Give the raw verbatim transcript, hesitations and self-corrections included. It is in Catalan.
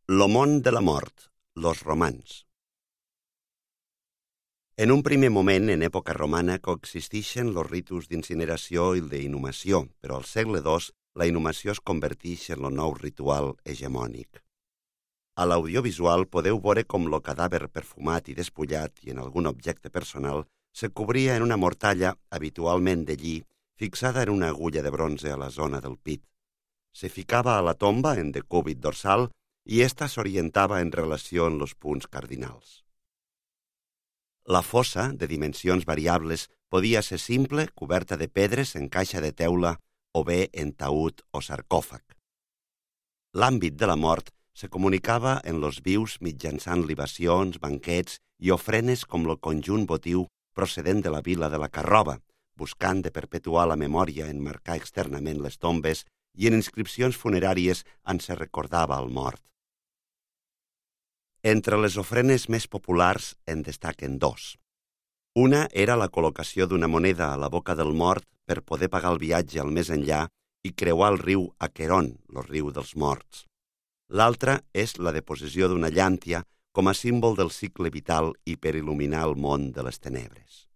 Lo món de la mort, los romans. En un primer moment, en època romana, coexisteixen els ritus d'incineració i d'inhumació, però al segle dos la inhumació es converteix en el nou ritual hegemònic. A l'audiovisual podeu veure com el cadàver perfumat i despullat i en algun objecte personal se cobria en una mortalla, habitualment de lli, fixada en una agulla de bronze a la zona del pit. Se ficava a la tomba en decúbit dorsal i ésta s'orientava en relació amb els punts cardinals. La fossa, de dimensions variables, podia ser simple, coberta de pedres en caixa de teula o bé en taüt o sarcòfag. L'àmbit de la mort se comunicava en los vius mitjançant libacions, banquets i ofrenes com el conjunt votiu procedent de la vila de la Carroba, buscant de perpetuar la memòria en marcar externament les tombes i en inscripcions funeràries on se recordava el mort. Entre les ofrenes més populars en destaquen dos. Una era la col·locació d'una moneda a la boca del mort per poder pagar el viatge al més enllà i creuar el riu Aqueron, el riu dels morts. L'altra és la deposició d'una llàntia com a símbol del cicle vital i per il·luminar el món de les tenebres.